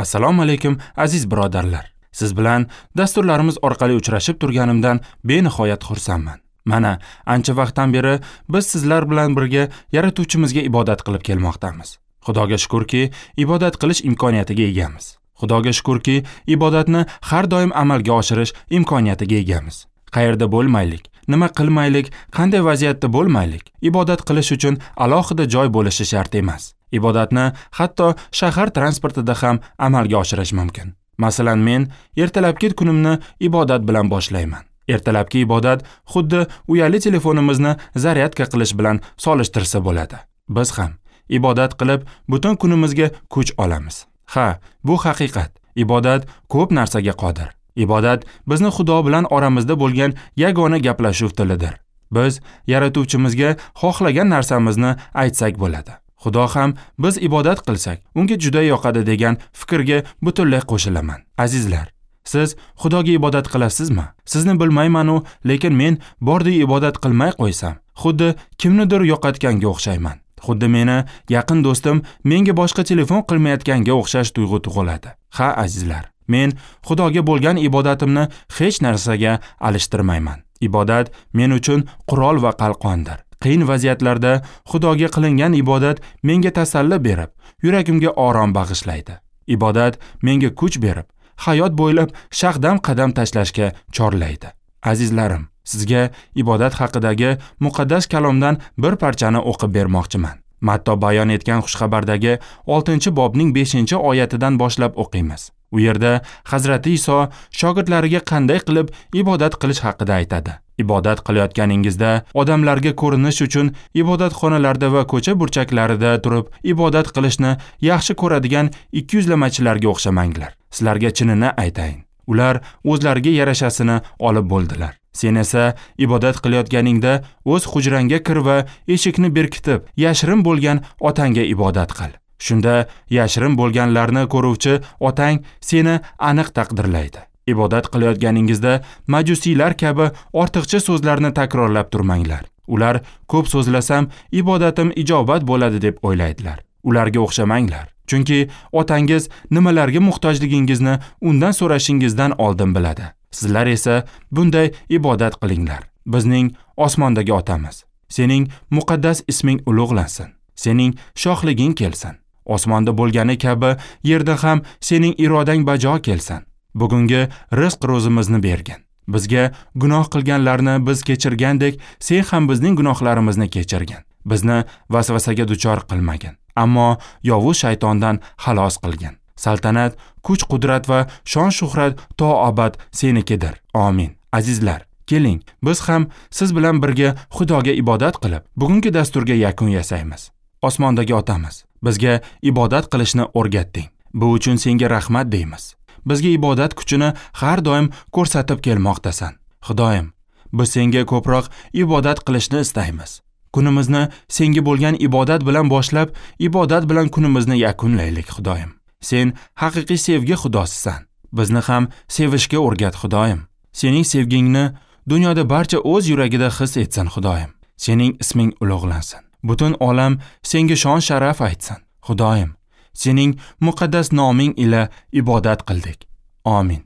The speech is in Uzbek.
Assalomu alaykum aziz birodarlar. Siz bilan dasturlarimiz orqali uchrashib turganimdan benihoyat xursandman. Mana ancha vaqtdan beri biz sizlar bilan birga Yaratuvchimizga ibodat qilib kelmoqdamiz. Xudoga shukurki, ibodat qilish imkoniyatiga egamiz. Xudoga shukurki, ibodatni har doim amalga oshirish imkoniyatiga egamiz. Qayerda bo'lmaylik, nima qilmaylik, qanday vaziyatda bo'lmaylik, ibodat qilish uchun alohida joy bo'lishi shart emas. Ibodatni hatto shahar transportida ham amalga oshirish mumkin. Masalan, men ertalabki kunimni ibodat bilan boshlayman. Ertalabki ibodat xuddi uyali telefonimizni zaryadka qilish bilan solishtirsa bo'ladi. Biz ham ibodat qilib butun kunimizga kuch olamiz. Ha, bu haqiqat. Ibodat ko'p narsaga qodir. Ibodat bizni Xudo bilan oramizda bo'lgan yagona gaplashuv tilidir. Biz Yaratuvchimizga xohlagan narsamizni aytsak bo'ladi. Xudo ham biz ibodat qilsak, unga juda yoqadi degan fikrga butunlay qo'shilaman. Azizlar, siz Xudoga ibodat qilasizmi? Sizni bilmayman-u, lekin men bordi ibodat qilmay qo'ysam, xuddi kimnidir yo'qotganga o'xshayman. Xuddi meni yaqin do'stim menga boshqa telefon qilmayotganga o'xshash tuyg'u tug'iladi. Ha, azizlar, men Xudoga bo'lgan ibodatimni hech narsaga alishtirmayman. Ibodat men uchun qurol va qalqondir. Qiyin vaziyatlarda Xudoga qilingan ibodat menga tasalli berib, yuragimga orom bag'ishlaydi. Ibodat menga kuch berib, hayot bo'ylab shaqdam qadam tashlashga chorlaydi. Azizlarim, sizga ibodat haqidagi muqaddas kalomdan bir parchani o'qib bermoqchiman. Matto bayon etgan xushxabardagi 6-bobning 5-oyatidan boshlab o'qiymiz. U yerda Hazrati Iso shogirdlariga qanday qilib ibodat qilish haqida aytadi. Ibodat qilayotganingizda odamlarga ko'rinish uchun ibodatxonalarda va ko'cha burchaklarida turib ibodat qilishni yaxshi ko'radigan ikkiyuzlamachilarga o'xshamanglar. Sizlarga chinini aytayin, ular o'zlariga yarashasini olib bo'ldilar. Sen esa ibodat qilayotganingda o'z hujrangga kir va eshikni berkitib, yashirin bo'lgan otangga ibodat qil. Shunda yashirin bo'lganlarni ko'ruvchi otang seni aniq taqdirlaydi. Ibodat qilayotganingizda majusiylar kabi ortiqcha so'zlarni takrorlab turmanglar. Ular ko'p so'zlasam ibodatim ijobat bo'ladi deb o'ylaydilar. Ularga o'xshamanglar. Chunki otangiz nimalarga muhtojligingizni undan so'rashingizdan oldin biladi. Sizlar esa bunday ibodat qilinglar. Bizning osmondagi otamiz, sening muqaddas isming ulug'lansin. Sening shohliging kelsin. Osmonda bo'lgani kabi yerda ham sening irodang bajo kelsin. Bugungi rizq ro'zimizni bergin. Bizga gunoh qilganlarni biz kechirgandek, sen ham bizning gunohlarimizni kechirgin. Bizni vasvasaga duchor qilmagin, ammo yovuz shaytondan xalos qilgin. Saltanat, kuch-qudrat va shon-shuhrat to abad senikidir. Amin. Azizlar, keling, biz ham siz bilan birga Xudoga ibodat qilib, bugungi dasturga yakun yasaymiz. Osmondagi otamiz, bizga ibodat qilishni o'rgatding. Bu uchun senga rahmat deymiz. Bizga ibodat kuchini har doim ko'rsatib kelmoqdasan. Xudoyim, biz senga ko'proq ibodat qilishni istaymiz. Kunimizni senga bo'lgan ibodat bilan boshlab, ibodat bilan kunimizni yakunlaylik, Xudoyim. Sen haqiqiy sevgi Xudosisan. Bizni ham sevishga o'rgat, Xudoyim. Sening sevgingni dunyoda barcha o'z yuragida his etsin, Xudoyim. Sening isming ulug'lansin. Butun olam senga shon-sharaf aytsin, Xudoyim. Sening muqaddas noming ila ibodat qildik. Amin.